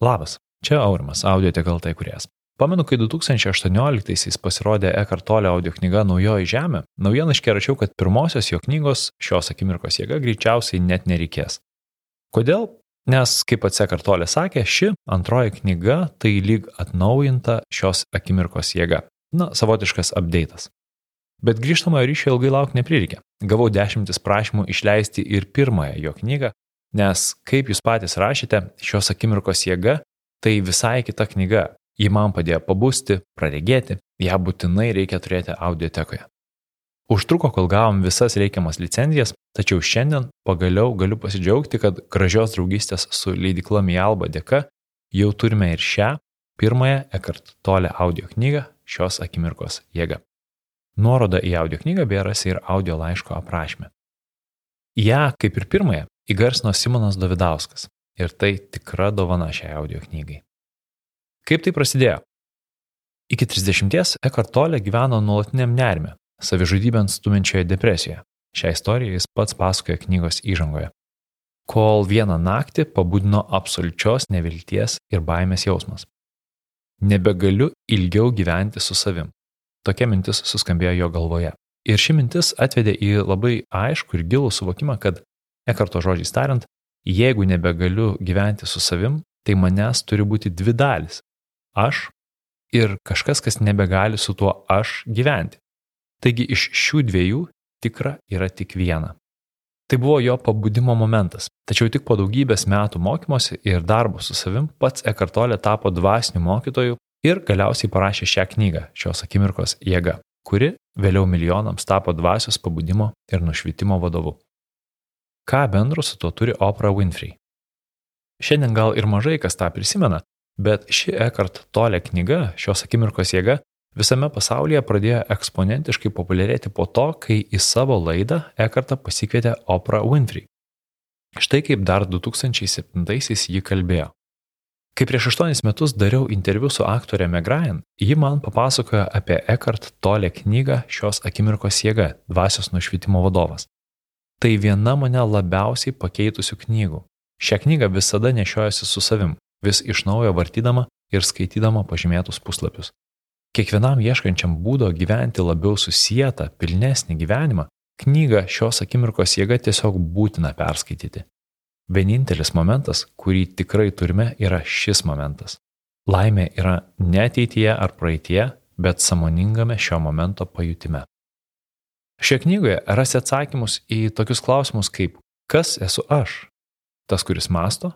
Labas, čia Aurimas, Audioteka LT įkūrėjas. Pamenu, kai 2018-aisiais pasirodė Eckhart Tolle audio knyga Naujoji žemė, naujienlaiškyje rašiau, kad pirmosios jo knygos Šios akimirkos jėga greičiausiai net nereikės. Kodėl? Nes, kaip pats Eckhart Tolle sakė, ši antroji knyga tai lyg atnaujinta Šios akimirkos jėga. Savotiškas update'as. Bet grįžtamojo ryšio ilgai laukti neprireikė. Gavau 10 prašymų išleisti ir pirmąją jo knygą, nes, kaip jūs patys rašėte, Šios akimirkos jėga tai visai kita knyga. Ji man padėjo pabusti, praregėti, ją būtinai reikia turėti audiotekoje. Užtruko, kol gavom visas reikiamas licenzijas, tačiau šiandien pagaliau galiu pasidžiaugti, kad gražios draugystės su leidykla Mialba dėka jau turime ir šią pirmąją Eckhart Tolle audio knygą Šios akimirkos jėga. Nuoroda į audio knygą beje rasi ir audio laiško aprašyme. Ja, kaip ir pirmąją, įgarsino Simonas Davidauskas ir tai tikra dovana šiai audio knygai. Kaip tai prasidėjo? Iki 30 Eckhart Tolle gyveno nuolatiniam nerime, savižudybėn stuminčioje depresijoje. Šią istoriją jis pats pasakoja knygos įžangoje. Kol vieną naktį pabudino absoliučios nevilties ir baimės jausmas. Nebegaliu ilgiau gyventi su savim. Tokia mintis suskambėjo jo galvoje. Ir ši mintis atvedė į labai aiškų ir gilų suvokimą, kad, Eckharto žodžiais tariant, jeigu nebegaliu gyventi su savim, tai manęs turi būti dvi dalis. Aš ir kažkas, kas nebegali su tuo aš gyventi. Taigi iš šių dviejų tikra yra tik viena. Tai buvo jo pabudimo momentas, tačiau tik po daugybės metų mokymosi ir darbo su savim pats Eckhart Tolle tapo dvasiniu mokytoju ir galiausiai parašė šią knygą Šios akimirkos jėga, kuri vėliau milijonams tapo dvasios pabudimo ir nušvitimo vadovu. Ką bendro su tuo turi Oprah Winfrey? Šiandien gal ir mažai kas tą prisimena, bet ši Eckhart Tolle knyga Šios akimirkos jėga visame pasaulyje pradėjo eksponentiškai populiarėti po to, kai į savo laidą Eckhartą pasikvietė Oprah Winfrey. Štai kaip dar 2007-aisiais ji kalbėjo. Kai prieš 8 metus dariau interviu su aktorė Meg Ryan, ji man papasakojo apie Eckhart Tolle knygą Šios akimirkos jėga, dvasios nušvitimo vadovas. Tai viena mane labiausiai pakeitusių knygų. Šią knygą visada nešiojuosi su savim, vis iš naujo vartydama ir skaitydama pažymėtus puslapius. Kiekvienam ieškančiam būdo gyventi labiau susietą, pilnesnį gyvenimą, knygą Šios akimirkos jėga tiesiog būtina perskaityti. Vienintelis momentas, kurį tikrai turime, yra šis momentas. Laimė yra ne ateityje ar praeityje, bet sąmoningame šio momento pajutime. Šioje knygoje rasi atsakymus į tokius klausimus kaip kas esu aš? Tas, kuris mąsto?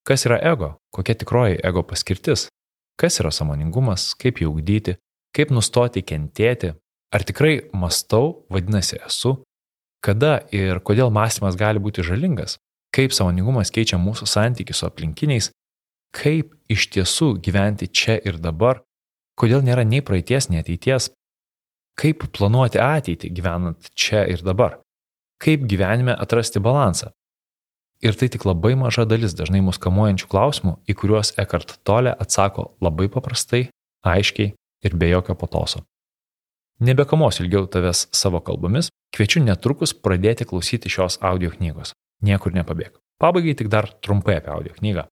Kas yra ego? Kokia tikroji ego paskirtis? Kas yra sąmoningumas? Kaip jį ugdyti? Kaip nustoti kentėti? Ar tikrai mąstau, vadinasi esu? Kada ir kodėl mąstymas gali būti žalingas? Kaip sąmoningumas keičia mūsų santykį su aplinkiniais? Kaip iš tiesų gyventi čia ir dabar? Kodėl nėra nei praeities, nei ateities? Kaip planuoti ateitį gyvenant čia ir dabar? Kaip gyvenime atrasti balansą? Ir tai tik labai maža dalis dažnai mus kamuojančių klausimų, į kuriuos Eckhart Tolle atsako labai paprastai, aiškiai ir be jokio patoso. Nebekamuosiu ilgiau tavęs savo kalbomis, kviečiu netrukus pradėti klausyti šios audio knygos. Niekur nepabėg. Pabaigai tik dar trumpai apie audio knygą.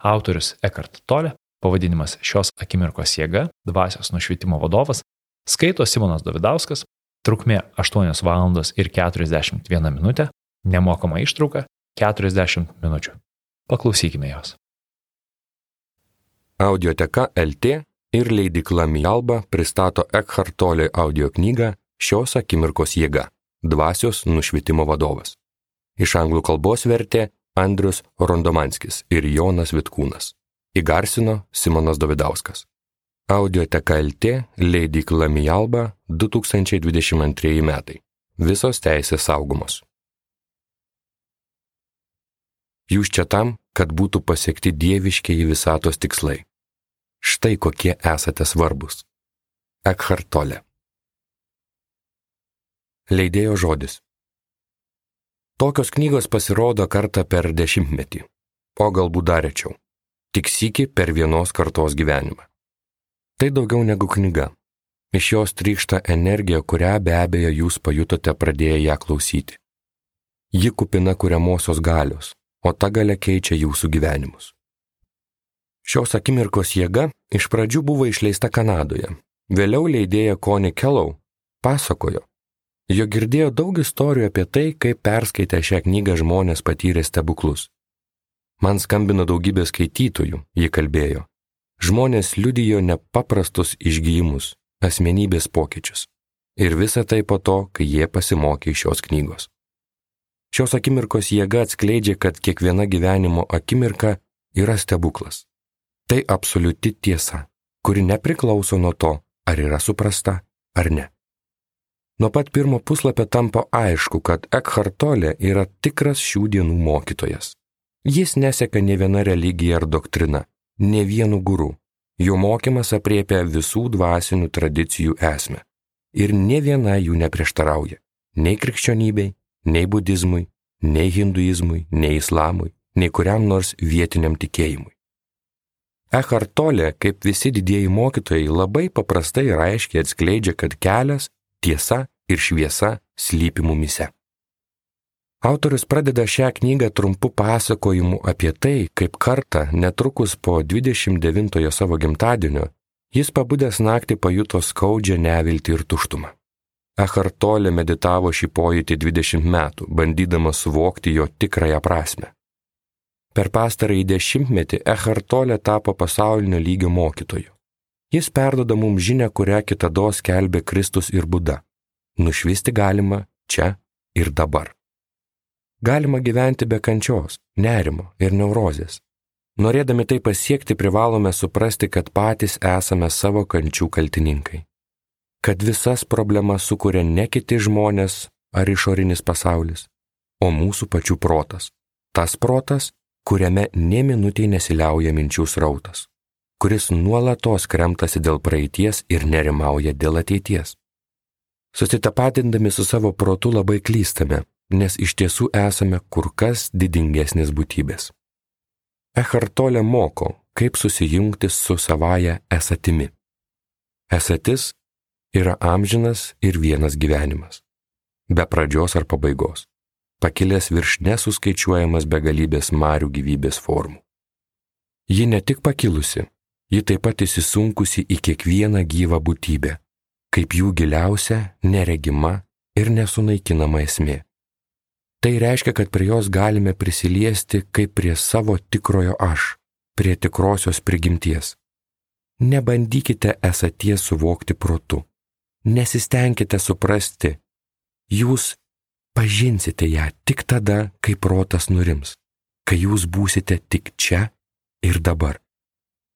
Autorius Eckhart Tolle, pavadinimas Šios akimirkos jėga, dvasios nušvitimo vadovas, skaito Simonas Davidauskas, trukmė 8 valandos ir 41 minutė, nemokama ištrauka 40 minučių. Paklausykime jos. Audioteka LT ir leidykla Mialba pristato Eckhart Tolle audio knygą Šios akimirkos jėga, dvasios nušvitimo vadovas. Iš anglų kalbos vertė Andrius Rondomanskis ir Jonas Vitkūnas. Įgarsino Simonas Davidauskas. Audioteka LT, leidykla Mialba, 2022 metai. Visos teisės saugomos. Jūs čia tam, kad būtų pasiekti dieviškieji visatos tikslai. Štai kokie esate svarbus. Eckhart Tolle. Leidėjo žodis. Tokios knygos pasirodo kartą per 10-metį, o galbūt dar rečiau. Tik sykį per vienos kartos gyvenimą. Tai daugiau negu knyga. Iš jos trykšta energija, kurią be abejo jūs pajutote pradėję ją klausyti. Ji kupina kuriamosios galios, o ta galia keičia jūsų gyvenimus. Šios akimirkos jėga iš pradžių buvo išleista Kanadoje. Vėliau leidėja Connie Kellow pasakojo, jo girdėjo daug istorijų apie tai, kaip perskaitę šią knygą žmonės patyrė stebuklus. Man skambino daugybė skaitytojų, ji kalbėjo. Žmonės liudijo nepaprastus išgijimus, asmenybės pokyčius. Ir visa tai po to, kai jie pasimokė iš šios knygos. Šios akimirkos jėga atskleidžia, kad kiekviena gyvenimo akimirka yra stebuklas. Tai absoliuti tiesa, kuri nepriklauso nuo to, ar yra suprasta ar ne. Nuo pat pirmo puslapio tampa aišku, kad Eckhart Tolle yra tikras šių dienų mokytojas. Jis neseka ne viena religija ar doktrina, ne vienu guru. Jo mokymas apriepia visų dvasinių tradicijų esmę. Ir ne viena jų neprieštarauja. Nei krikščionybei, nei budizmui, nei hinduizmui, nei islamui, nei kuriam nors vietiniam tikėjimui. Eckhart Tolle, kaip visi didieji mokytojai, labai paprastai ir aiškiai atskleidžia, kad kelias, tiesa ir šviesa slypi mumyse. Autorius pradeda šią knygą trumpu pasakojimu apie tai, kaip kartą, netrukus po 29 savo gimtadienio, jis pabudęs naktį pajuto skaudžią neviltį ir tuštumą. Eckhart Tolle meditavo šį pojūtį 20 metų, bandydamas suvokti jo tikrąją prasmę. Per pastarąjį 10-metį Eckhart Tolle tapo pasaulinio lygio mokytoju. Jis perduoda mums žinią, kurią kitados skelbė Kristus ir Buda. Nušvisti galima čia ir dabar. Galima gyventi be kančios, nerimo ir neurozės. Norėdami tai pasiekti, privalome suprasti, kad patys esame savo kančių kaltininkai. Kad visas problemas sukuria ne kiti žmonės ar išorinis pasaulis, o mūsų pačių protas. Tas protas, kuriame nė minutei nesiliauja minčių srautas, kuris nuolatos kremtasi dėl praeities ir nerimauja dėl ateities. Susitapatindami su savo protu labai klystame, nes iš tiesų esame kur kas didingesnės būtybės. Eckhart Tolle moko, kaip susijungti su savaja esatimi. Esatis yra amžinas ir vienas gyvenimas, be pradžios ar pabaigos, pakilęs virš nesuskaičiuojamas begalybės marių gyvybės formų. Ji ne tik pakilusi, ji taip pat įsisunkusi į kiekvieną gyvą būtybę, kaip jų giliausia, neregima ir nesunaikinama esmė. Tai reiškia, kad prie jos galime prisiliesti kaip prie savo tikrojo aš, prie tikrosios prigimties. Nebandykite esaties suvokti protu. Nesistengkite suprasti. Jūs pažinsite ją tik tada, kai protas nurims, kai jūs būsite tik čia ir dabar.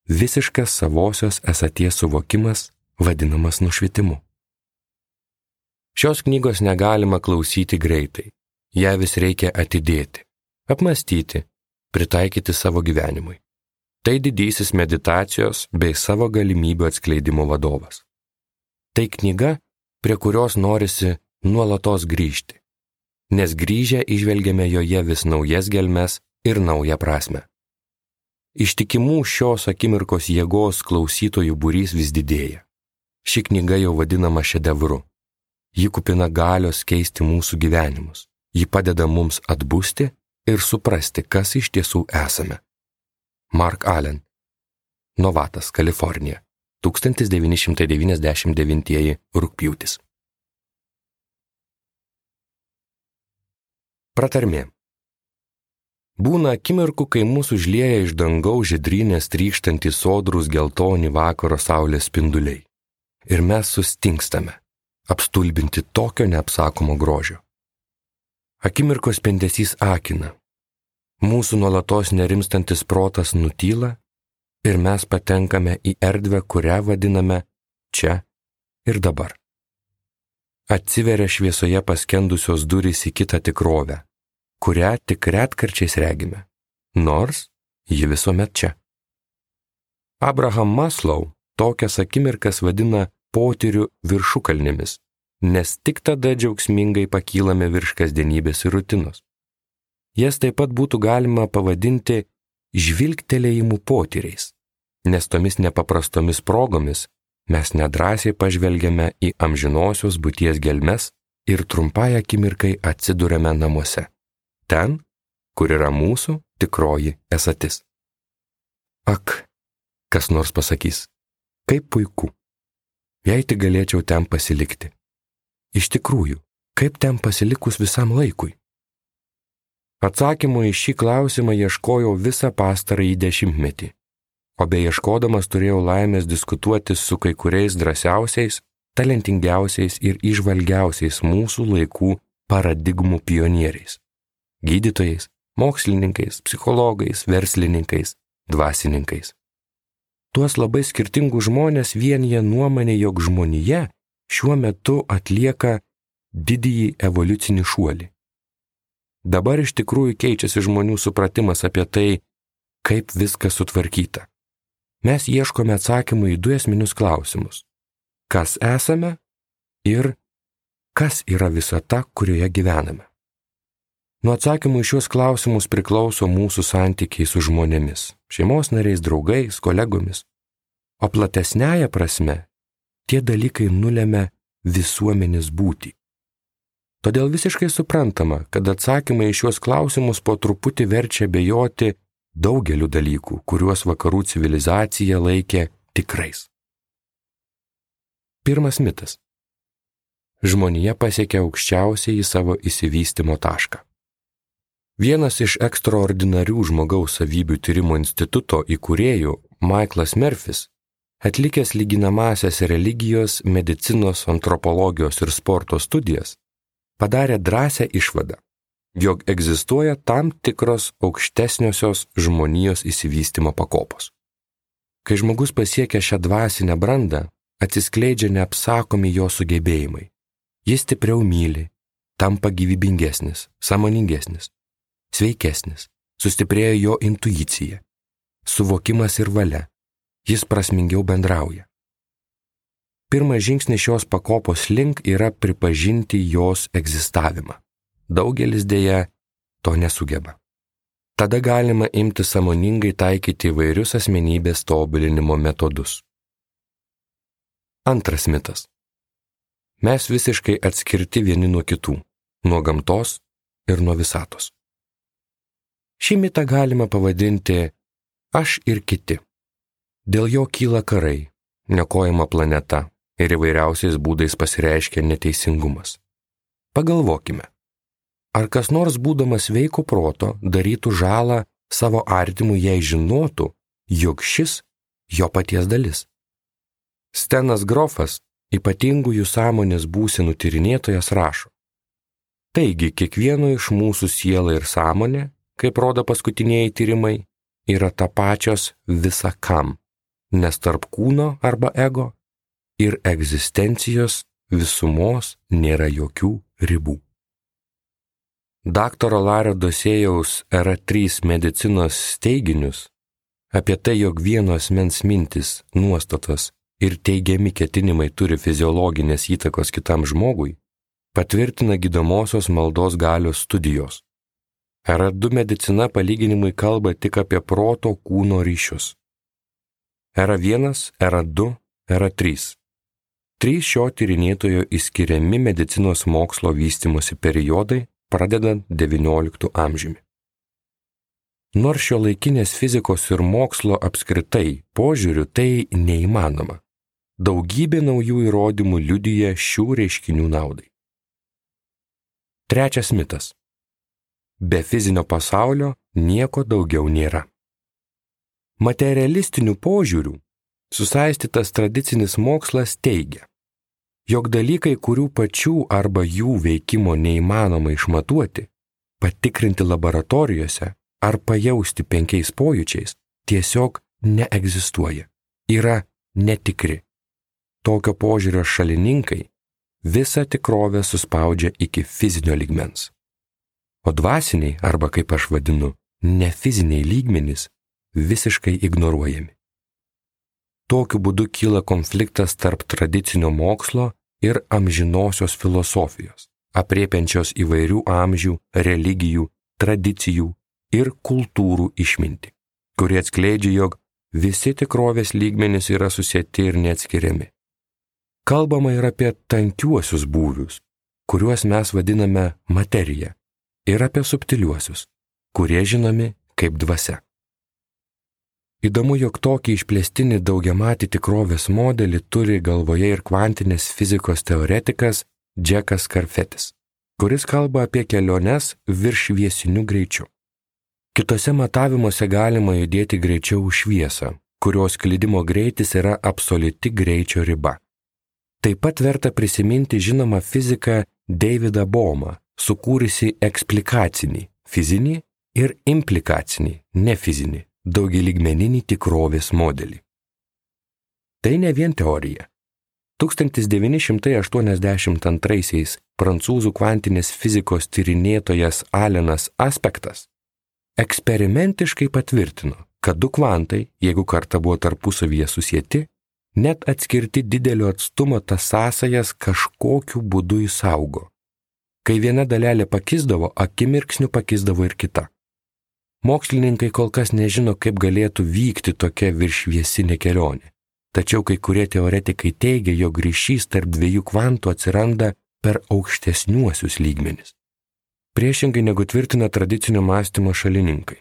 Visiškas savosios esaties suvokimas vadinamas nušvitimu. Šios knygos negalima klausyti greitai. Ją vis reikia atidėti, apmastyti, pritaikyti savo gyvenimui. Tai didysis meditacijos bei savo galimybių atskleidimo vadovas. Tai knyga, prie kurios norisi nuolatos grįžti, nes grįžę įžvelgiame joje vis naujas gelmes ir naują prasmę. Ištikimų šios akimirkos jėgos klausytojų būrys vis didėja. Ši knyga jau vadinama šedevru. Ji kupina galios keisti mūsų gyvenimus. Ji padeda mums atbusti ir suprasti, kas iš tiesų esame. Mark Allen, Novatas, Kalifornija, 1999 rugpjūtis. Pratarmė. Būna akimirkų, kai mūsų užlieja iš dangaus žydrynės trykštantys sodrūs geltoni vakaro saulės spinduliai. Ir mes sustingstame, apstulbinti tokio neapsakomo grožio. Akimirkos spindesys akina. Mūsų nuolatos nerimstantis protas nutyla ir mes patenkame į erdvę, kurią vadiname čia ir dabar. Atsiveria šviesoje paskendusios durys į kitą tikrovę, kurią tik retkarčiais regime, nors ji visuomet čia. Abraham Maslow tokias akimirkas vadina potyrių viršukalnėmis, nes tik tada džiaugsmingai pakylame virš kasdienybės ir rutinos. Jas taip pat būtų galima pavadinti žvilgtelėjimų potyriais, nes tomis nepaprastomis progomis mes nedrąsiai pažvelgiame į amžinosios būties gelmes ir trumpai akimirkai atsiduriame namuose, ten, kur yra mūsų tikroji esatis. Ak, Kas nors pasakys, kaip puiku, jei tik galėčiau ten pasilikti. Iš tikrųjų, kaip ten pasilikus visam laikui? Atsakymo į šį klausimą ieškojau visą pastarąjį 10-metį, o beieškodamas turėjau laimės diskutuoti su kai kuriais drąsiausiais, talentingiausiais ir įžvalgiausiais mūsų laikų paradigmų pionieriais – gydytojais, mokslininkais, psichologais, verslininkais, dvasininkais. Tuos labai skirtingus žmonės vienija nuomonė, jog žmonija šiuo metu atlieka didįjį evoliucinį šuolį. Dabar iš tikrųjų keičiasi žmonių supratimas apie tai, kaip viskas sutvarkyta. Mes ieškome atsakymų į 2 esminius klausimus. Kas esame ir kas yra visata, kurioje gyvename. Nuo atsakymų į šios klausimus priklauso mūsų santykiai su žmonėmis, šeimos nariais, draugais, kolegomis. O platesnėje prasme, tie dalykai nulemia visuomenės būtį. Todėl visiškai suprantama, kad atsakymai į šios klausimus po truputį verčia abejoti daugeliu dalykų, kuriuos vakarų civilizacija laikė tikrais. Pirmas mitas. Žmonija pasiekia aukščiausiai į savo išsivystymo tašką. Vienas iš ekstraordinarių žmogaus savybių tyrimo instituto įkūrėjų, Michaelas Murphys, atlikęs lyginamąsias religijos, medicinos, antropologijos ir sporto studijas, padarė drąsią išvadą, jog egzistuoja tam tikros aukštesniosios žmonijos išsivystymo pakopos. Kai žmogus pasiekia šią dvasinę brandą, atsiskleidžia neapsakomi jo sugebėjimai. Jis stipriau myli, tampa gyvybingesnis, sąmoningesnis, sveikesnis, sustiprėja jo intuicija, suvokimas ir valia, jis prasmingiau bendrauja. Pirmas žingsnis šios pakopos link yra pripažinti jos egzistavimą. Daugelis dėja to nesugeba. Tada galima imti sąmoningai taikyti įvairius asmenybės tobulinimo metodus. Antras mitas. Mes visiškai atskirti vieni nuo kitų, nuo gamtos ir nuo visatos. Šį mitą galima pavadinti aš ir kiti. Dėl jo kyla karai, niokojama planeta ir įvairiausiais būdais pasireiškia neteisingumas. Pagalvokime, ar kas nors būdamas sveiko proto darytų žalą savo artimui, jei žinotų, jog šis jo paties dalis? Stenas Grofas, ypatingųjų sąmonės būsenų tyrinėtojas, rašo: Taigi, kiekvieno iš mūsų siela ir sąmonė, kaip rodo paskutiniai tyrimai, yra tapačios visa kam, nes tarp kūno arba ego ir egzistencijos visumos nėra jokių ribų. Daktaro Lario Dosėjaus R3 medicinos teiginius apie tai, jog vieno asmens mintis, nuostatos ir teigiami ketinimai turi fiziologinės įtakos kitam žmogui, patvirtina gydomosios maldos galios studijos. R2 medicina palyginimui kalba tik apie proto kūno ryšius. R1, R2, R3. 3 šio tyrinėtojo išskiriami medicinos mokslo vystymosi periodai, pradedant XIX amžiumi. Nors šiuolaikinės fizikos ir mokslo apskritai požiūriu tai neįmanoma, daugybė naujų įrodymų liudija šių reiškinių naudai. Trečias mitas. Be fizinio pasaulio nieko daugiau nėra. Materialistiniu požiūriu susaistytas tradicinis mokslas teigia, jog dalykai, kurių pačių arba jų veikimo neįmanoma išmatuoti, patikrinti laboratorijose ar pajausti 5 pojūčiais, tiesiog neegzistuoja, yra netikri. Tokio požiūrio šalininkai visą tikrovę suspaudžia iki fizinio lygmens. O dvasiniai, arba kaip aš vadinu, nefiziniai lygmenys visiškai ignoruojami. Tokiu būdu kyla konfliktas tarp tradicinio mokslo ir amžinosios filosofijos, aprėpiančios įvairių amžių, religijų, tradicijų ir kultūrų išmintį, kurie atskleidžia, jog visi tikrovės lygmenys yra susieti ir neatskiriami. Kalbama ir apie tankiuosius būvius, kuriuos mes vadiname materija, ir apie subtiliuosius, kurie žinomi kaip dvasia. Įdomu, jog tokį išplėstinį daugiamatį tikrovės modelį turi galvoje ir kvantinės fizikos teoretikas Džekas Karfetis, kuris kalba apie keliones virššviesiniu greičiu. Kitose matavimuose galima judėti greičiau už šviesą, kurios sklidimo greitis yra absoliuti greičio riba. Taip pat verta prisiminti žinomą fiziką Davidą Bohmą, sukūrusi eksplikacinį, fizinį ir implikacinį, nefizinį, daugialygmeninį tikrovės modelį. Tai ne vien teorija. 1982 prancūzų kvantinės fizikos tyrinėtojas Alenas Aspektas eksperimentiškai patvirtino, kad du kvantai, jeigu kartą buvo tarpusavyje susieti, net atskirti didelio atstumo tas sąsajas kažkokiu būdu įsaugo. Kai viena dalelė pakisdavo, akimirksniu pakisdavo ir kita. Mokslininkai kol kas nežino, kaip galėtų vykti tokia virššviesinė kelionė. Tačiau kai kurie teoretikai teigia, jog ryšys tarp dviejų kvantų atsiranda per aukštesniuosius lygmenis. Priešingai negu tvirtina tradicinio mąstymo šalininkai.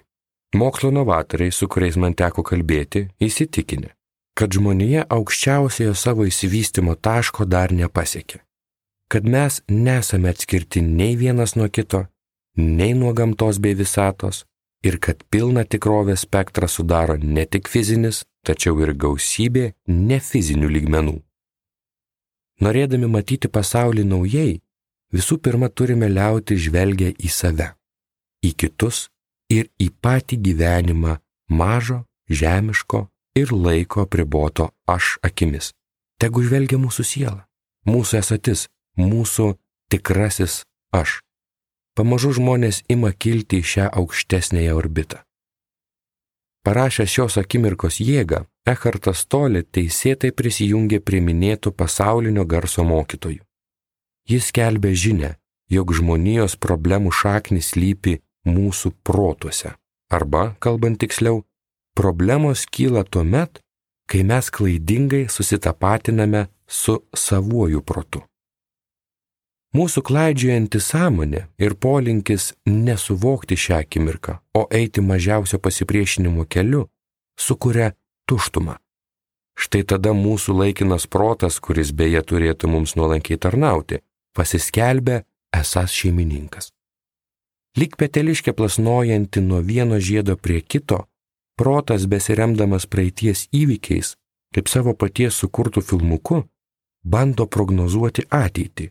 Mokslo novatoriai, su kuriais man teko kalbėti, įsitikinę, kad žmonija aukščiausiojo savo išsivystymo taško dar nepasiekė. Kad mes nesame atskirti nei vienas nuo kito, nei nuo gamtos bei visatos, ir kad pilną tikrovės spektrą sudaro ne tik fizinis, tačiau ir gausybė nefizinių lygmenų. Norėdami matyti pasaulį naujai, visų pirma turime liauti žvelgę į save, į kitus ir į patį gyvenimą mažo, žemiško ir laiko apriboto aš akimis. Tegu žvelgia mūsų siela, mūsų esatis, mūsų tikrasis aš. Pamažu žmonės ima kilti į šią aukštesnėją orbitą. Parašęs šios akimirkos jėgą, Ekhartas Tolle teisėtai prisijungė prie minėtų pasaulinio garso mokytojų. Jis skelbė žinią, jog žmonijos problemų šaknis slypi mūsų protuose. Arba, kalbant tiksliau, problemos kyla tuomet, kai mes klaidingai susitapatiname su savuoju protu. Mūsų klaidžiojanti sąmonė ir polinkis nesuvokti šią akimirką, o eiti mažiausio pasipriešinimo keliu, sukuria tuštumą. Štai tada mūsų laikinas protas, kuris beje turėtų mums nuolankiai tarnauti, pasiskelbia esąs šeimininkas. Lyg peteliškė plasnojanti nuo vieno žiedo prie kito, protas besiremdamas praeities įvykiais, kaip savo paties sukurtų filmuku, bando prognozuoti ateitį.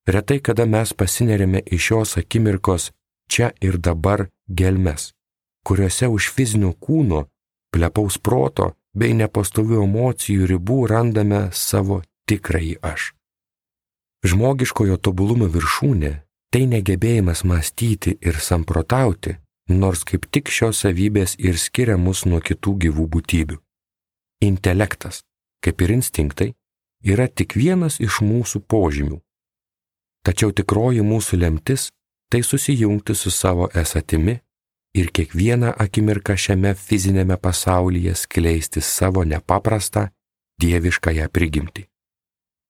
Retai kada mes pasinerėme iš šios akimirkos čia ir dabar gelmes, kuriuose už fizinio kūno, plepaus proto bei nepastovių emocijų ribų randame savo tikrąjį aš. Žmogiškojo tobulumo viršūnė – tai negebėjimas mąstyti ir samprotauti, nors kaip tik šios savybės ir skiria mus nuo kitų gyvų būtybių. Intelektas, kaip ir instinktai, yra tik vienas iš mūsų požymių. Tačiau tikroji mūsų lemtis – tai susijungti su savo esatimi ir kiekvieną akimirką šiame fizinėme pasaulyje skleisti savo nepaprastą, dieviškąją prigimtį.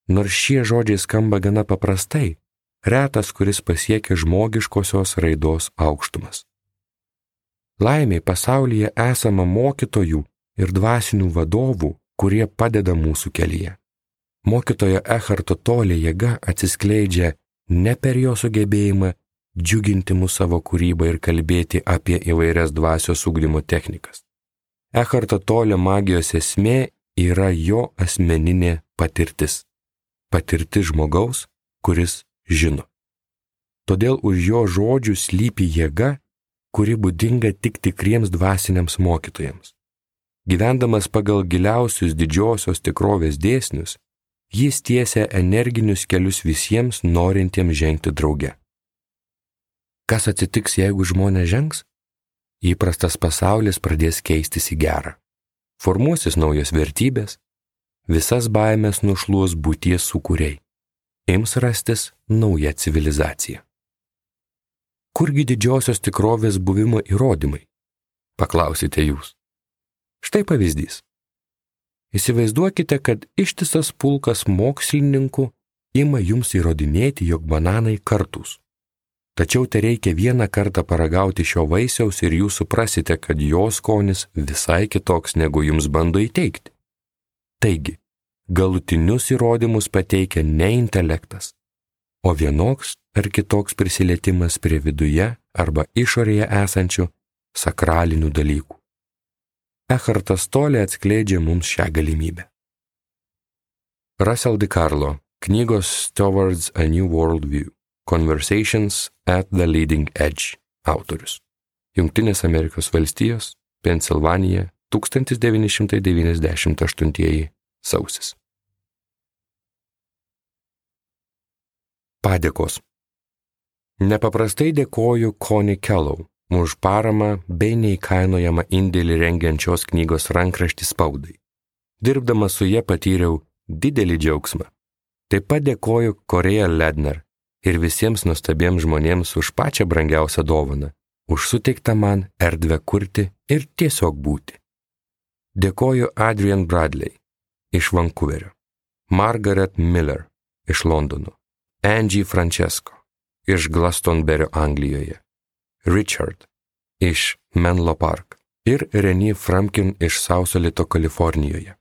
Nors šie žodžiai skamba gana paprastai, retas, kuris pasiekia žmogiškosios raidos aukštumas. Laimiai pasaulyje esama mokytojų ir dvasinių vadovų, kurie padeda mūsų kelyje. Mokytojo Ekharto Tolle jėga atsiskleidžia ne per jo sugebėjimą džiuginti mus savo kūrybą ir kalbėti apie įvairias dvasios ugdymo technikas. Ekharto Tolle magijos esmė yra jo asmeninė patirtis. Patirtis žmogaus, kuris žino. Todėl už jo žodžių slypi jėga, kuri būdinga tik tikriems dvasiniams mokytojams. Gyvendamas pagal giliausius didžiosios tikrovės dėsnius, jis tiesia energinius kelius visiems norintiems žengti drauge. Kas atsitiks, jeigu žmonės žengs? Įprastas pasaulis pradės keistis į gerą. Formuosis naujos vertybės, visas baimės nušluos būties sukūriai. Ims rastis nauja civilizacija. Kurgi didžiosios tikrovės buvimo įrodymai? Paklausite jūs. Štai pavyzdys. Įsivaizduokite, kad ištisas pulkas mokslininkų ima jums įrodinėti, jog bananai kartūs. Tačiau tai reikia vieną kartą paragauti šio vaisiaus ir jūs suprasite, kad jo skonis visai kitoks, negu jums bando įteikti. Taigi, galutinius įrodymus pateikia ne intelektas, o vienoks ar kitoks prisilietimas prie viduje arba išorėje esančių sakralinių dalykų. Eckhartas Tolle atskleidžia mums šią galimybę. Russell DiCarlo, knygos Towards a New Worldview, Conversations at the Leading Edge autorius. Jungtinės Amerikos valstijos, Pensilvanija, 1998 sausis. Padėkos. Nepaprastai dėkoju Connie Kellow už paramą bei neįkainojamą indėlį rengiančios knygos rankraštį spaudai. Dirbdamas su ja patyriau didelį džiaugsmą. Taip pat dėkoju Korea Ledner ir visiems nuostabiems žmonėms už pačią brangiausią dovaną, už suteiktą man erdvę kurti ir tiesiog būti. Dėkoju Adrian Bradley iš Vancouverio, Margaret Miller iš Londono, Angie Francesco iš Glastonbury, Anglijoje, Richard iš Menlo Park ir Renee Frumkin iš Sausalito, Kalifornijoje.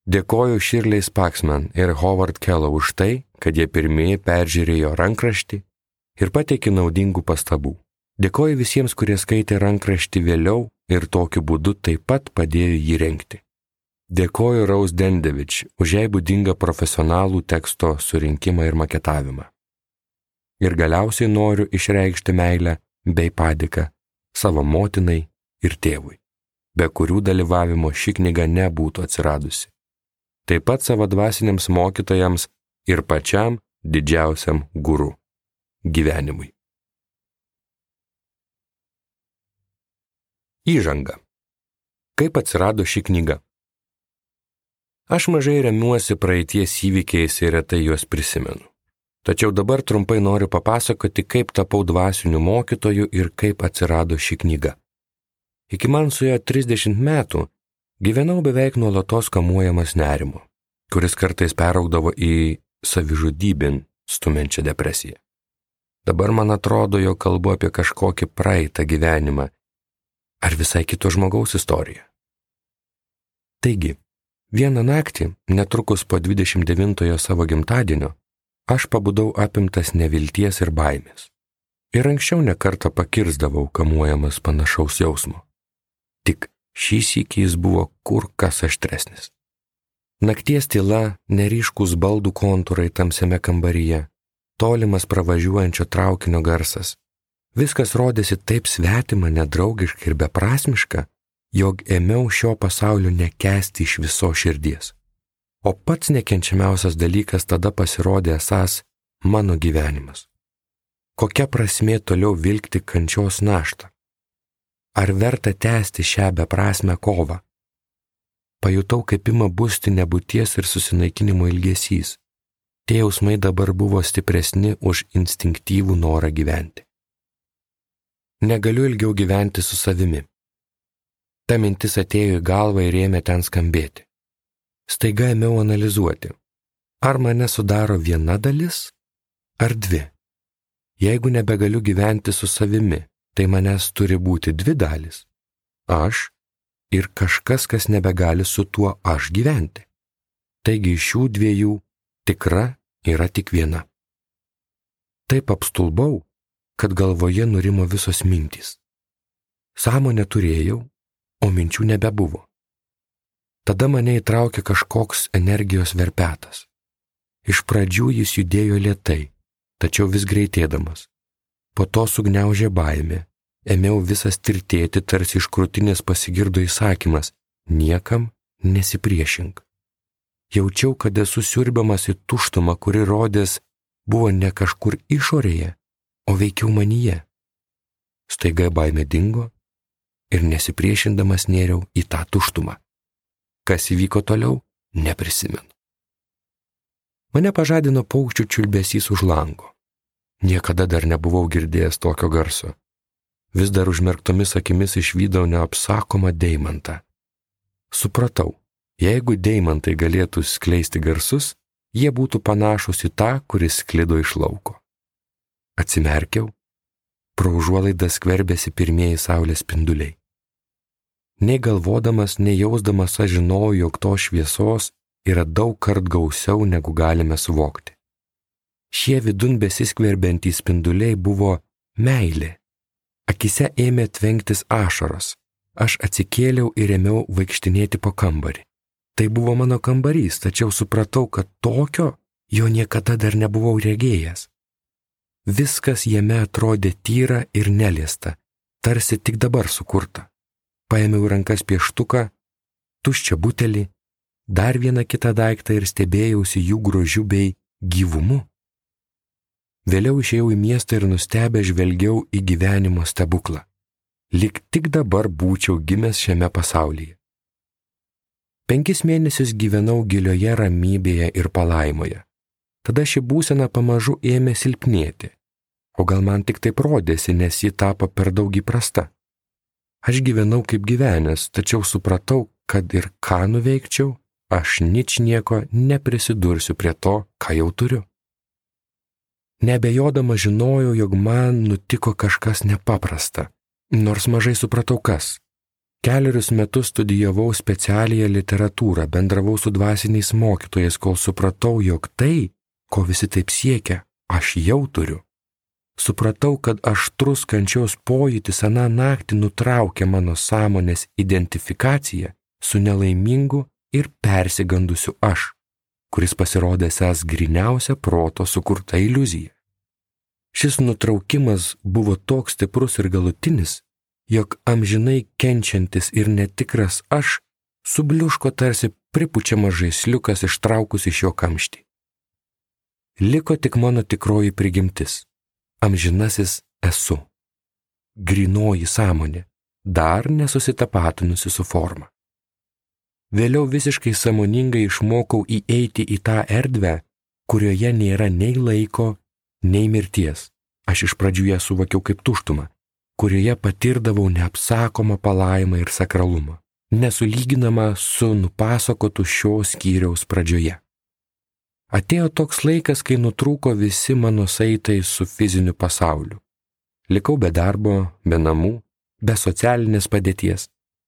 Dėkoju Shirley Spaxman ir Howard Kellow už tai, kad jie pirmieji peržiūrėjo rankraštį ir pateikė naudingų pastabų. Dėkoju visiems, kurie skaitė rankraštį vėliau ir tokiu būdu taip pat padėjo jį rengti. Dėkoju Rose Dendevič už jai būdingą profesionalų teksto surinkimą ir maketavimą. Ir galiausiai noriu išreikšti meilę bei padėką savo motinai ir tėvui, be kurių dalyvavimo ši knyga nebūtų atsiradusi. Taip pat savo dvasiniams mokytojams ir pačiam didžiausiam guru – gyvenimui. Įžanga. Kaip atsirado ši knyga? Aš mažai remiuosi praeities įvykiais ir retai juos prisimenu. Tačiau dabar trumpai noriu papasakoti, kaip tapau dvasiniu mokytoju ir kaip atsirado ši knyga. Iki man suėjo 30 metų, gyvenau beveik nuolatos kamuojamas nerimo, kuris kartais peraugdavo į savižudybin stumiančią depresiją. Dabar man atrodo, jog kalbu apie kažkokį praeitą gyvenimą ar visai kito žmogaus istoriją. Taigi, vieną naktį, netrukus po 29-ojo savo gimtadienio, aš pabudau apimtas nevilties ir baimės. Ir anksčiau nekartą pakirsdavau kamuojamas panašaus jausmo. Tik šį sykį jis buvo kur kas aštresnis. Nakties tyla, neryškus baldų kontūrai tamsiame kambaryje, tolimas pravažiuojančio traukinio garsas. Viskas rodėsi taip svetima, nedraugiška ir beprasmiška, jog ėmiau šio pasaulio nekęsti iš viso širdies. O pats nekenčiamiausias dalykas tada pasirodė esąs mano gyvenimas. Kokia prasmė toliau vilkti kančios naštą? Ar verta tęsti šią beprasmę kovą? Pajutau, kaip ima busti nebūties ir susinaikinimo ilgesys. Tie jausmai dabar buvo stipresni už instinktyvų norą gyventi. Negaliu ilgiau gyventi su savimi. Ta mintis atėjo į galvą ir ėmė ten skambėti. Staiga ėmiau analizuoti, ar mane sudaro viena dalis, ar dvi. Jeigu nebegaliu gyventi su savimi, tai manęs turi būti dvi dalys. Aš ir kažkas, kas nebegali su tuo aš gyventi. Taigi iš šių dviejų tikra yra tik viena. Taip apstulbau, kad galvoje nurimo visos mintys. Sąmonę turėjau, o minčių nebebuvo. Tada mane įtraukė kažkoks energijos verpetas. Iš pradžių jis judėjo lėtai, tačiau vis greitėdamas. Po to sugniaužė baimė, ėmiau visas tirtėti, tarsi iš krūtinės pasigirdo įsakymas – niekam nesipriešink. Jaučiau, kad esu siurbiamas į tuštumą, kuri rodės buvo ne kažkur išorėje, o veikiau manyje. Staiga baimė dingo ir nesipriešindamas nėriau į tą tuštumą. Kas įvyko toliau, neprisimenu. Mane pažadino paukščių čiulbesys už lango. Niekada dar nebuvau girdėjęs tokio garso. Vis dar užmerktomis akimis išvydau neapsakomą deimantą. Supratau, jeigu deimantai galėtų skleisti garsus, jie būtų panašus į tą, kuris sklido iš lauko. atsimerkiau, pro užuolaidą skverbėsi pirmieji saulės spinduliai. Nei galvodamas, nei jausdamas aš žinojau, jog to šviesos yra daug kart gausiau, negu galime suvokti. Šie vidun besiskverbiantys spinduliai buvo meilė. Akise ėmė tvenktis ašaros. Aš atsikėliau ir ėmiau vaikštinėti po kambarį. Tai buvo mano kambarys, tačiau supratau, kad tokio jo niekada dar nebuvau regėjęs. Viskas jame atrodė tyra ir neliesta, tarsi tik dabar sukurta. Paėmiau rankas pieštuką, tuščią butelį, dar vieną kitą daiktą ir stebėjausi jų grožiu bei gyvumu. Vėliau išėjau į miestą ir nustebę žvelgiau į gyvenimo stebuklą. Lyg tik dabar būčiau gimęs šiame pasaulyje. 5 mėnesius gyvenau gilioje ramybėje ir palaimoje. Tada ši būsena pamažu ėmė silpnėti. O gal man tik taip rodėsi, nes ji tapo per daug įprasta. Aš gyvenau kaip gyvenęs, tačiau supratau, kad ir ką nuveikčiau, aš ničnieko neprisidursiu prie to, ką jau turiu. Neabejodama žinojau, jog man nutiko kažkas nepaprasta, nors mažai supratau kas. 4 metus studijavau specialiąją literatūrą, bendravau su dvasiniais mokytojais, kol supratau, jog tai, ko visi taip siekia, aš jau turiu. Supratau, kad aštrus kančios pojūtis aną naktį nutraukė mano sąmonės identifikaciją su nelaimingu ir persigandusiu aš, kuris pasirodė esąs gryniausia proto sukurta iliuzija. Šis nutraukimas buvo toks stiprus ir galutinis, jog amžinai kenčiantis ir netikras aš subliuško tarsi pripučiamas žaisliukas ištraukus iš jo kamštį. Liko tik mano tikroji prigimtis. Amžinasis esu. Grynoji sąmonė, dar nesusitapatinusi su forma. Vėliau visiškai sąmoningai išmokau įeiti į tą erdvę, kurioje nėra nei laiko, nei mirties. Aš iš pradžių ją suvokiau kaip tuštumą, kurioje patirdavau neapsakomą palaimą ir sakralumą, nesulyginamą su nupasakotu šio skyriaus pradžioje. Atėjo toks laikas, kai nutrūko visi mano saitai su fiziniu pasauliu. Likau be darbo, be namų, be socialinės padėties,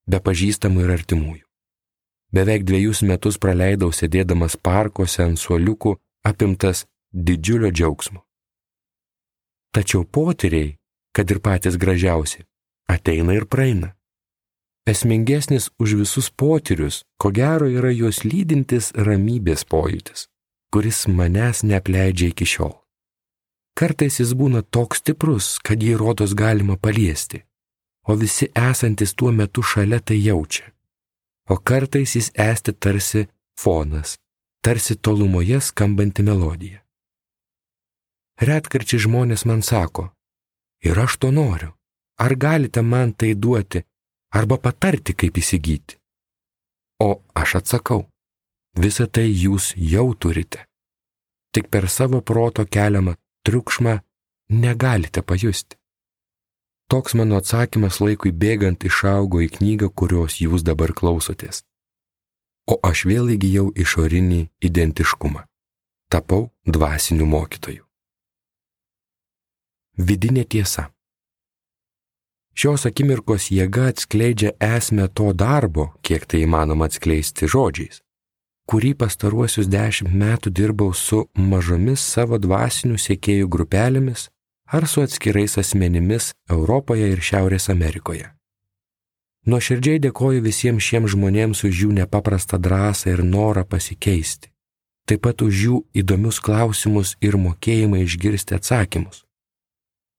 be pažįstamų ir artimųjų. Beveik 2 metus praleidau sėdėdamas parkuose ant suoliukų, apimtas didžiulio džiaugsmo. Tačiau potyriai, kad ir patys gražiausi, ateina ir praeina. Esmingesnis už visus potyrius, ko gero, yra juos lydintis ramybės pojūtis, kuris manęs neapleidžia iki šiol. Kartais jis būna toks stiprus, kad jį rodos galima paliesti, o visi esantis tuo metu šalia tai jaučia. O kartais jis esti tarsi fonas, tarsi tolumoje skambanti melodija. Retkarčiai žmonės man sako, ir aš to noriu, ar galite man tai duoti, arba patarti, kaip įsigyti. O aš atsakau, visą tai jūs jau turite. Tik per savo proto keliamą triukšmą negalite pajusti. Toks mano atsakymas laikui bėgant išaugo į knygą, kurios jūs dabar klausotės. O aš vėl įgijau išorinį identiškumą. Tapau dvasiniu mokytoju. Vidinė tiesa. Šios akimirkos jėga atskleidžia esmę to darbo, kiek tai įmanoma atskleisti žodžiais, kurį pastaruosius 10 metų dirbau su mažomis savo dvasinių sekėjų grupelėmis ar su atskirais asmenimis Europoje ir Šiaurės Amerikoje. Nuoširdžiai dėkoju visiems šiems žmonėms už jų nepaprastą drąsą ir norą pasikeisti, taip pat už jų įdomius klausimus ir mokėjimą išgirsti atsakymus.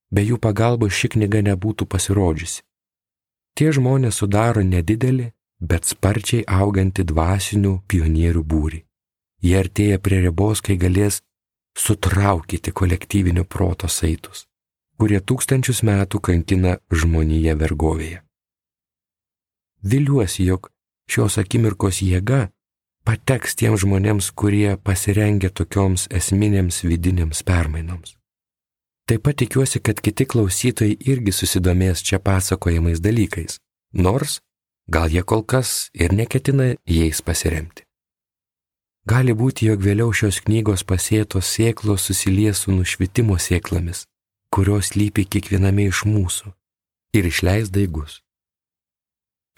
Be jų pagalbos ši knyga nebūtų pasirodžiusi. Tie žmonės sudaro nedidelį, bet sparčiai augantį dvasinių pionierių būrį. Jie artėja prie ribos, kai galės sutraukyti kolektyvinio proto saitus, kurie 1000 metų kankina žmoniją vergovėje. Viliuosi, jog šios akimirkos jėga pateks tiems žmonėms, kurie pasirengia tokioms esminėms vidinėms permainoms. Taip pat tikiuosi, kad kiti klausytojai irgi susidomės čia pasakojamais dalykais, nors gal jie kol kas ir neketina jais pasiremti. Gali būti, jog vėliau šios knygos pasėtos sėklos susilies su nušvitimo sėklomis kurios slypi kiekviename iš mūsų ir išleis daigus.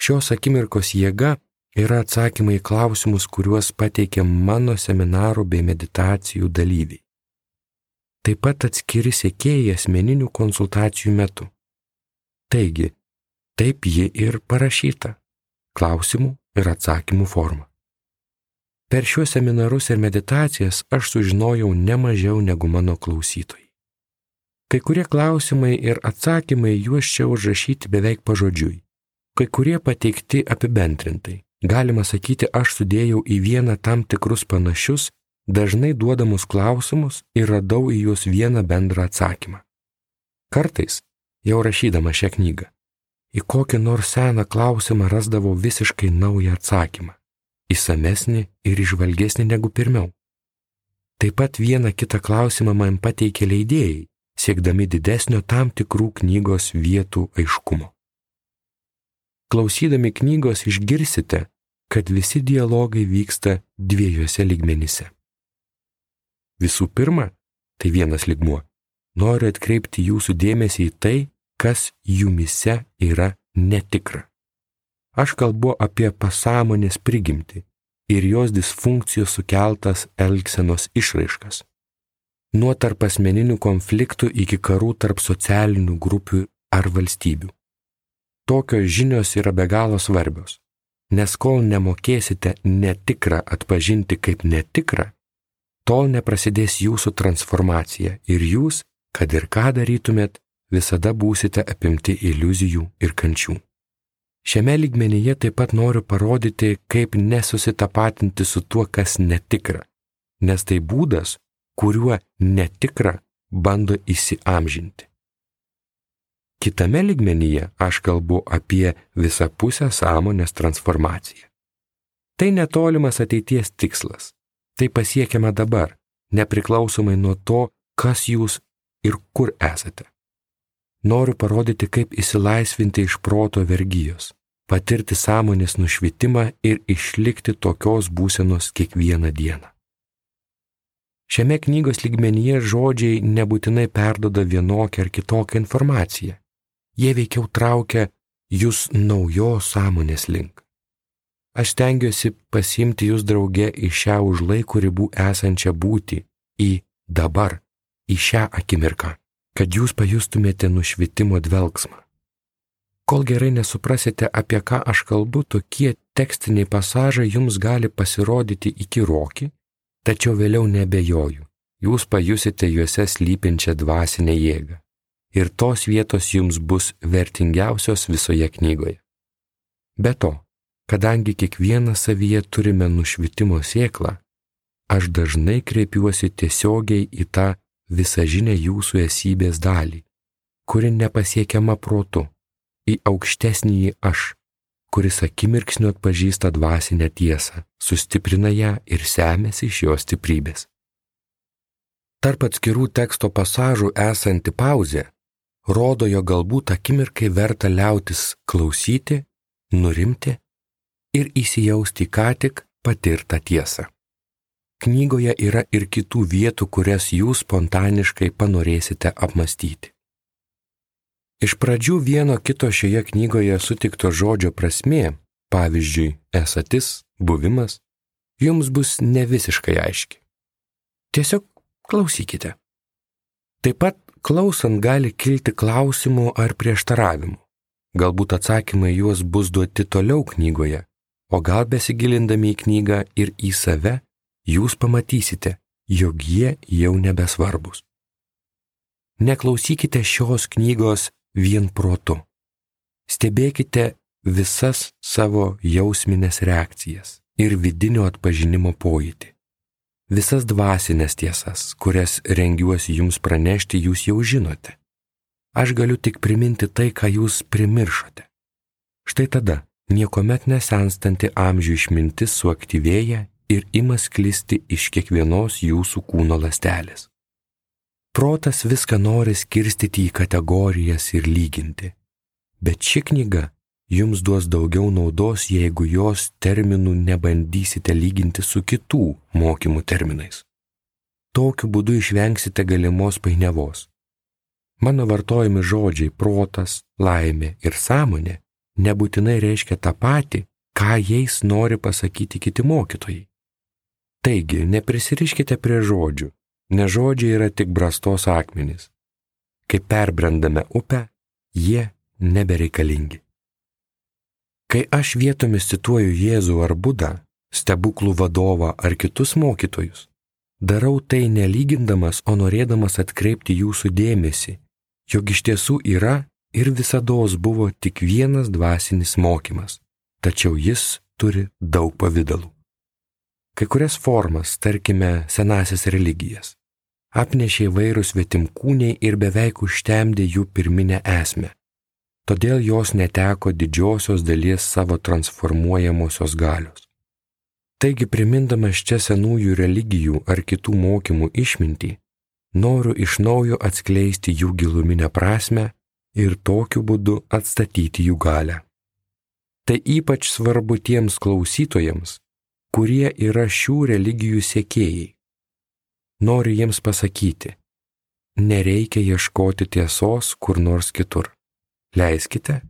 Šios akimirkos jėga yra atsakymai į klausimus, kuriuos pateikė mano seminarų bei meditacijų dalyviai. Taip pat atskiri sekėjai asmeninių konsultacijų metu. Taigi, taip ji ir parašyta – klausimų ir atsakymų forma. Per šiuos seminarus ir meditacijas aš sužinojau ne mažiau negu mano klausytojai. Kai kurie klausimai ir atsakymai juos čia užrašyti beveik pažodžiui. Kai kurie pateikti apibendrintai. Galima sakyti, aš sudėjau į vieną tam tikrus panašius, dažnai duodamus klausimus ir radau į juos vieną bendrą atsakymą. Kartais, jau rašydama šią knygą, į kokį nors seną klausimą rasdavau visiškai naują atsakymą, įsamesnį ir įžvalgesnį negu pirmiau. Taip pat vieną kitą klausimą man pateikė leidėjai, siekdami didesnio tam tikrų knygos vietų aiškumo. Klausydami knygos išgirsite, kad visi dialogai vyksta dviejose lygmenyse. Visų pirma, tai vienas lygmuo. Noriu atkreipti jūsų dėmesį į tai, kas jumyse yra netikra. Aš kalbu apie pasąmonės prigimtį ir jos disfunkcijos sukeltas elgsenos išraiškas. Nuo tarpasmeninių konfliktų iki karų tarp socialinių grupių ar valstybių. Tokios žinios yra be galo svarbios, nes kol nemokėsite netikrą atpažinti kaip netikrą, tol neprasidės jūsų transformacija ir jūs, kad ir ką darytumėt, visada būsite apimti iliuzijų ir kančių. Šiame lygmenyje taip pat noriu parodyti, kaip nesusitapatinti su tuo, kas netikra, nes tai būdas, kuriuo netikra bando įsiamžinti. Kitame lygmenyje aš kalbu apie visapusę sąmonės transformaciją. Tai netolimas ateities tikslas. Tai pasiekiama dabar, nepriklausomai nuo to, kas jūs ir kur esate. Noriu parodyti, kaip išsilaisvinti iš proto vergijos, patirti sąmonės nušvitimą ir išlikti tokios būsenos kiekvieną dieną. Šiame knygos lygmenyje žodžiai nebūtinai perduoda vienokią ar kitokią informaciją. Jie veikiau traukia jūs naujos sąmonės link. Aš stengiuosi pasiimti jūs drauge į šią už laiko ribų esančią būtį, į dabar, į šią akimirką, kad jūs pajustumėte nušvitimo dvelksmą. Kol gerai nesuprasite, apie ką aš kalbu, tokie tekstiniai pasažai jums gali pasirodyti įkyroki, tačiau vėliau nebejoju, jūs pajusite juose slypinčią dvasinę jėgą. Ir tos vietos jums bus vertingiausios visoje knygoje. Be to, kadangi kiekvieną savyje turime nušvitimo sėklą, aš dažnai kreipiuosi tiesiogiai į tą visažinę jūsų esybės dalį, kuri nepasiekiama protu, į aukštesnįjį aš, kuris akimirksniu atpažįsta dvasinę tiesą, sustiprina ją ir semiasi iš jos stiprybės. Tarp atskirų teksto pasažų esanti pauzė rodo, jog galbūt akimirkai verta liautis klausyti, nurimti ir įsijausti ką tik patirtą tiesą. Knygoje yra ir kitų vietų, kurias jūs spontaniškai panorėsite apmastyti. Iš pradžių vieno kito šioje knygoje sutikto žodžio prasmė, pavyzdžiui, esatis, buvimas, jums bus ne visiškai aiški. Tiesiog klausykite. Taip pat klausant gali kilti klausimų ar prieštaravimų. Galbūt atsakymai juos bus duoti toliau knygoje, o gal besigilindami į knygą ir į save, jūs pamatysite, jog jie jau nebesvarbus. Neklausykite šios knygos vien protu. Stebėkite visas savo jausminės reakcijas ir vidinio atpažinimo pojūtį. Visas dvasinės tiesas, kurias rengiuosi jums pranešti, jūs jau žinote. Aš galiu tik priminti tai, ką jūs primiršote. Štai tada niekuomet nesenstanti amžių išmintis suaktyvėja ir ima sklisti iš kiekvienos jūsų kūno ląstelės. Protas viską nori skirstyti į kategorijas ir lyginti, bet ši knyga jums duos daugiau naudos, jeigu jos terminų nebandysite lyginti su kitų mokymų terminais. Tokiu būdu išvengsite galimos painiavos. Mano vartojami žodžiai protas, laimė ir sąmonė nebūtinai reiškia tą patį, ką jais nori pasakyti kiti mokytojai. Taigi, neprisiriškite prie žodžių, nes žodžiai yra tik brastos akmenys. Kai perbrendame upę, jie nebereikalingi. Kai aš vietomis cituoju Jėzų ar Budą, stebuklų vadovą ar kitus mokytojus, darau tai nelygindamas, o norėdamas atkreipti jūsų dėmesį, jog iš tiesų yra ir visados buvo tik vienas dvasinis mokymas, tačiau jis turi daug pavydalų. Kai kurias formas, tarkime, senąsias religijas, apnešė įvairūs svetimkūniai ir beveik užtemdė jų pirminę esmę. Todėl jos neteko didžiosios dalies savo transformuojamosios galios. Taigi, primindamas čia senųjų religijų ar kitų mokymų išmintį, noriu iš naujo atskleisti jų giluminę prasmę ir tokiu būdu atstatyti jų galią. Tai ypač svarbu tiems klausytojams, kurie yra šių religijų sekėjai. Noriu jiems pasakyti, nereikia ieškoti tiesos kur nors kitur. Leiskite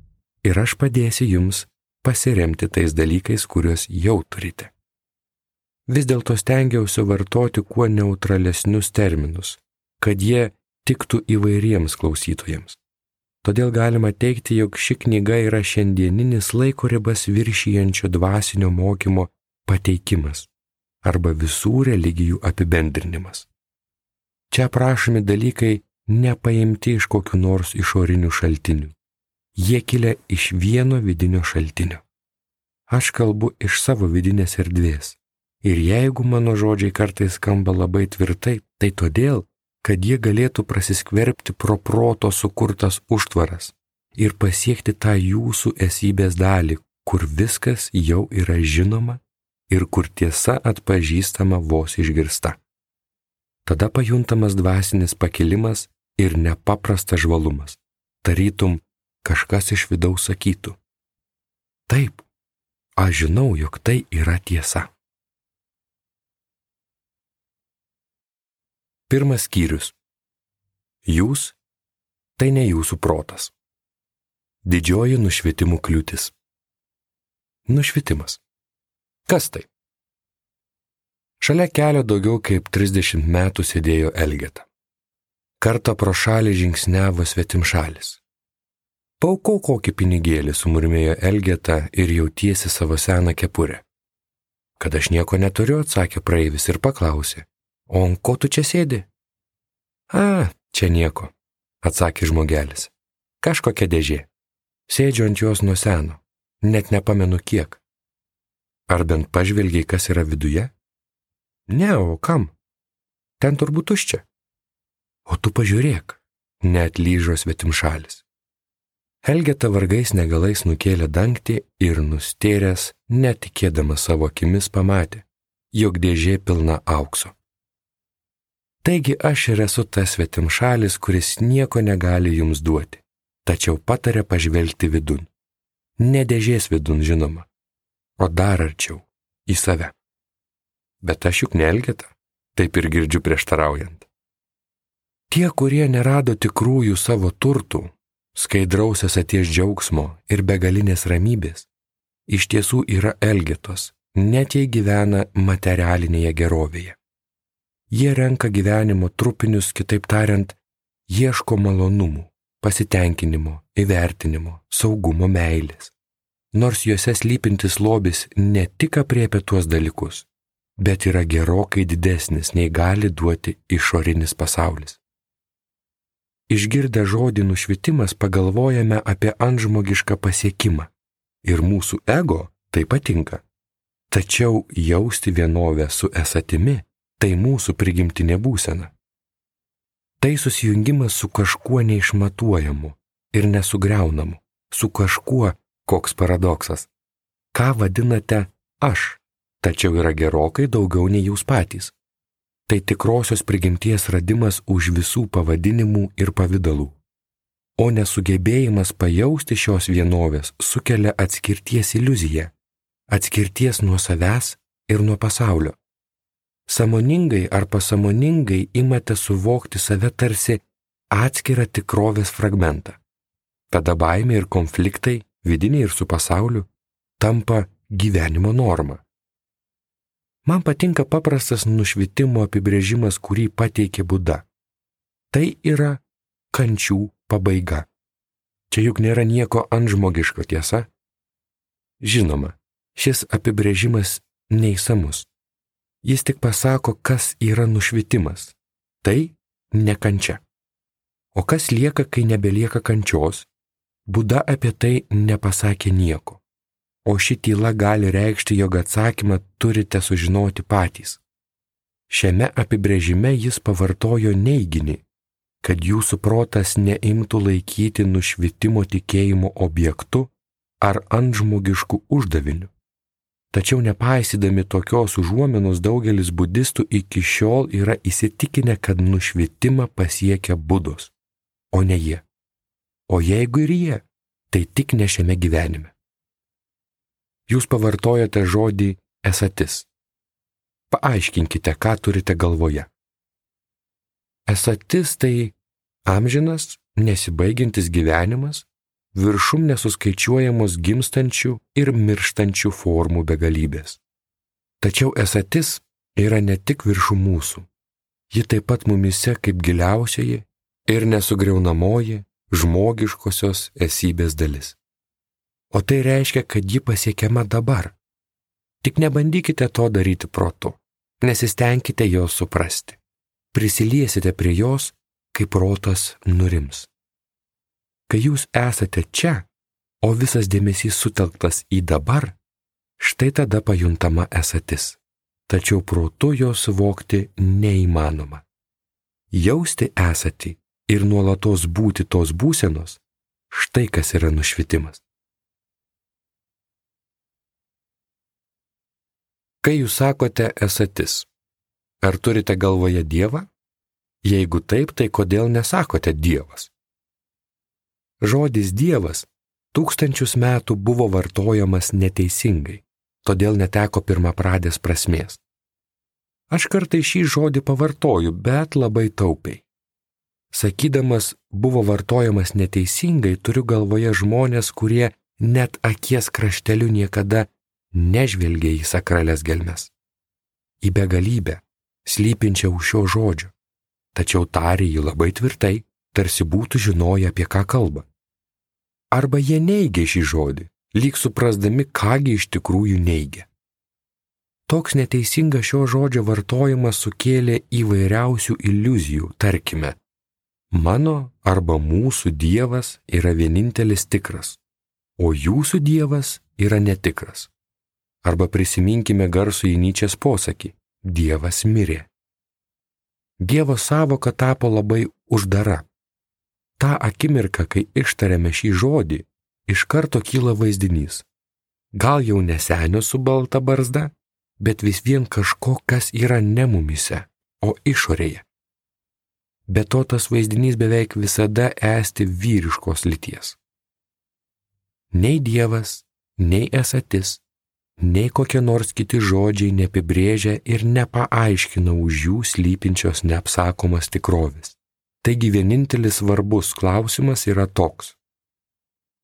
ir aš padėsiu jums pasiremti tais dalykais, kuriuos jau turite. Vis dėlto stengiausi vartoti kuo neutralesnius terminus, kad jie tiktų įvairiems klausytojams. Todėl galima teigti, jog ši knyga yra šiandieninis laiko ribas viršijančio dvasinio mokymo pateikimas arba visų religijų apibendrinimas. Čia aprašomi dalykai nepaimti iš kokių nors išorinių šaltinių. Jie kilę iš vieno vidinio šaltinio. Aš kalbu iš savo vidinės erdvės. Ir jeigu mano žodžiai kartais skamba labai tvirtai, tai todėl, kad jie galėtų prasiskverbti pro proto sukurtas užtvaras ir pasiekti tą jūsų esybės dalį, kur viskas jau yra žinoma ir kur tiesa atpažįstama vos išgirsta. Tada pajuntamas dvasinis pakilimas ir nepaprastas žvalumas. Tarytum, kažkas iš vidaus sakytų: taip, aš žinau, jog tai yra tiesa. Pirmas skyrius. Jūs – tai ne jūsų protas. Didžioji nušvitimų kliūtis. Nušvitimas. Kas tai? Šalia kelio daugiau kaip 30 metų sėdėjo Elgeta. Kartą pro šalį žingsniavo svetimšalis. Paaukok kokį pinigėlį, sumurmėjo Elgeta ir jautiesi savo seną kepurę. Kad aš nieko neturiu, atsakė praeivis ir paklausė: o ant ko tu čia sėdi? Čia nieko, atsakė žmogelis. Kažkokia dėžė. Sėdžiu ant jos nuo seno, net nepamenu kiek. Ar bent pažvelgiai, kas yra viduje? Ne, o kam? Ten turbūt tuščia. O tu pažiūrėk, neatlyžo svetimšalis. Elgeta vargais negalais nukėlė dangtį ir nustėręs, netikėdamas savo akimis, pamatė, jog dėžė pilna aukso. Taigi aš ir esu tas svetimšalis, kuris nieko negali jums duoti, tačiau patarė pažvelgti vidun. Ne dėžės vidun, žinoma, o dar arčiau, į save. Bet aš juk ne Elgeta, taip ir girdžiu prieštaraujant. Tie, kurie nerado tikrųjų savo turtų, skaidraus esaties džiaugsmo ir begalinės ramybės, iš tiesų yra Elgetos, net jei gyvena materialinėje gerovėje. Jie renka gyvenimo trupinius, kitaip tariant, ieško malonumų, pasitenkinimo, įvertinimo, saugumo, meilės. Nors juose slypintis lobis ne tik apriepia tuos dalykus, bet yra gerokai didesnis, nei gali duoti išorinis pasaulis. Išgirdę žodį nušvitimas pagalvojame apie antžmogišką pasiekimą ir mūsų ego tai patinka. Tačiau jausti vienovę su esatimi tai mūsų prigimtinė būsena. Tai susijungimas su kažkuo neišmatuojamu ir nesugriaunamu, su kažkuo, koks paradoksas. Ką vadinate aš, tačiau yra gerokai daugiau nei jūs patys. Tai tikrosios prigimties radimas už visų pavadinimų ir pavydalų. O nesugebėjimas pajausti šios vienovės sukelia atskirties iliuziją, atskirties nuo savęs ir nuo pasaulio. Sąmoningai ar pasąmoningai imate suvokti save tarsi atskirą tikrovės fragmentą. Tada baimė ir konfliktai, vidiniai ir su pasauliu, tampa gyvenimo norma. Man patinka paprastas nušvitimo apibrėžimas, kurį pateikė Buda. Tai yra kančių pabaiga. Čia juk nėra nieko antžmogiško, tiesa? Žinoma, šis apibrėžimas neišsamus. Jis tik pasako, kas yra nušvitimas. Tai ne kančia. O kas lieka, kai nebelieka kančios? Buda apie tai nepasakė nieko. O ši tyla gali reikšti, jog atsakymą turite sužinoti patys. Šiame apibrėžime jis pavartojo neiginį, kad jūsų protas neimtų laikyti nušvitimo tikėjimo objektu ar antžmogišku uždaviniu. Tačiau nepaisydami tokios užuominos daugelis budistų iki šiol yra įsitikinę, kad nušvitimą pasiekia Budos, o ne jie. O jeigu ir jie, tai tik ne šiame gyvenime. Jūs pavartojate žodį esatis. Paaiškinkite, ką turite galvoje. Esatis tai amžinas, nesibaigiantis gyvenimas, viršum nesuskaičiuojamos gimstančių ir mirštančių formų begalybės. Tačiau esatis yra ne tik viršum mūsų, ji taip pat mumise kaip giliausioji ir nesugriaunamoji žmogiškosios esybės dalis. O tai reiškia, kad ji pasiekiama dabar. Tik nebandykite to daryti protu, nesistengkite jos suprasti. Prisiliesite prie jos, kai protas nurims. Kai jūs esate čia, o visas dėmesys sutelktas į dabar, štai tada pajuntama esatis. Tačiau protu jo suvokti neįmanoma. Jausti esatį ir nuolatos būti tos būsenos, štai kas yra nušvitimas. Kai jūs sakote esatis, ar turite galvoje Dievą? Jeigu taip, tai kodėl nesakote Dievas? Žodis Dievas 1000 metų buvo vartojamas neteisingai, todėl neteko pirmapradės prasmės. Aš kartais šį žodį pavartoju, bet labai taupiai. Sakydamas buvo vartojamas neteisingai, turiu galvoje žmonės, kurie net akies krašteliu niekada nežvelgia į sakralias gelmes, į begalybę, slypinčią už šio žodžio, tačiau tarė jį labai tvirtai, tarsi būtų žinoję, apie ką kalba. Arba jie neigia šį žodį, lyg suprasdami, kągi iš tikrųjų neigia. Toks neteisingas šio žodžio vartojimas sukėlė įvairiausių iliuzijų, tarkime, mano arba mūsų Dievas yra vienintelis tikras, o jūsų Dievas yra netikras. Arba prisiminkime garsųjį Nyčės posakį – Dievas mirė. Dievo sąvoka tapo labai uždara. Ta akimirka, kai ištariame šį žodį, iš karto kyla vaizdinys. Gal jau ne senio su balta barzda, bet vis vien kažko, kas yra ne mumise, o išorėje. Be to tas vaizdinys beveik visada esti vyriškos lyties. Nei Dievas, nei esatis, nei kokie nors kiti žodžiai neapibrėžia ir nepaaiškina už jų slypinčios neapsakomas tikrovės. Taigi vienintelis svarbus klausimas yra toks.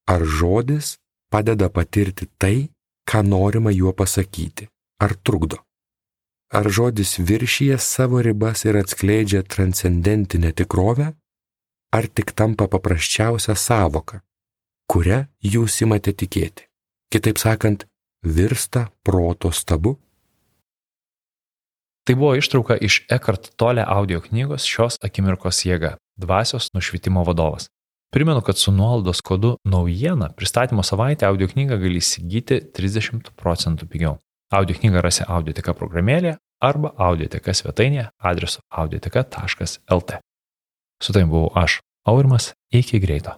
Ar žodis padeda patirti tai, ką norima juo pasakyti, ar trukdo? Ar žodis viršyje savo ribas ir atskleidžia transcendentinę tikrovę, ar tik tampa paprasčiausia sąvoka, kuria jūs imate tikėti? Kitaip sakant, virsta proto stabu? Tai buvo ištrauka iš Eckhart Tolle audio knygos Šios akimirkos jėga – Dvasios nušvitimo vadovas. Primenu, kad su nuolaidos kodu naujiena pristatymo savaitę audio knygą gali įsigyti 30% pigiau. Audio knygą rasi Audioteka programėlėje arba Audioteka svetainėje adresu audioteka.lt. Su tavimi buvau aš, Aurimas, iki greito.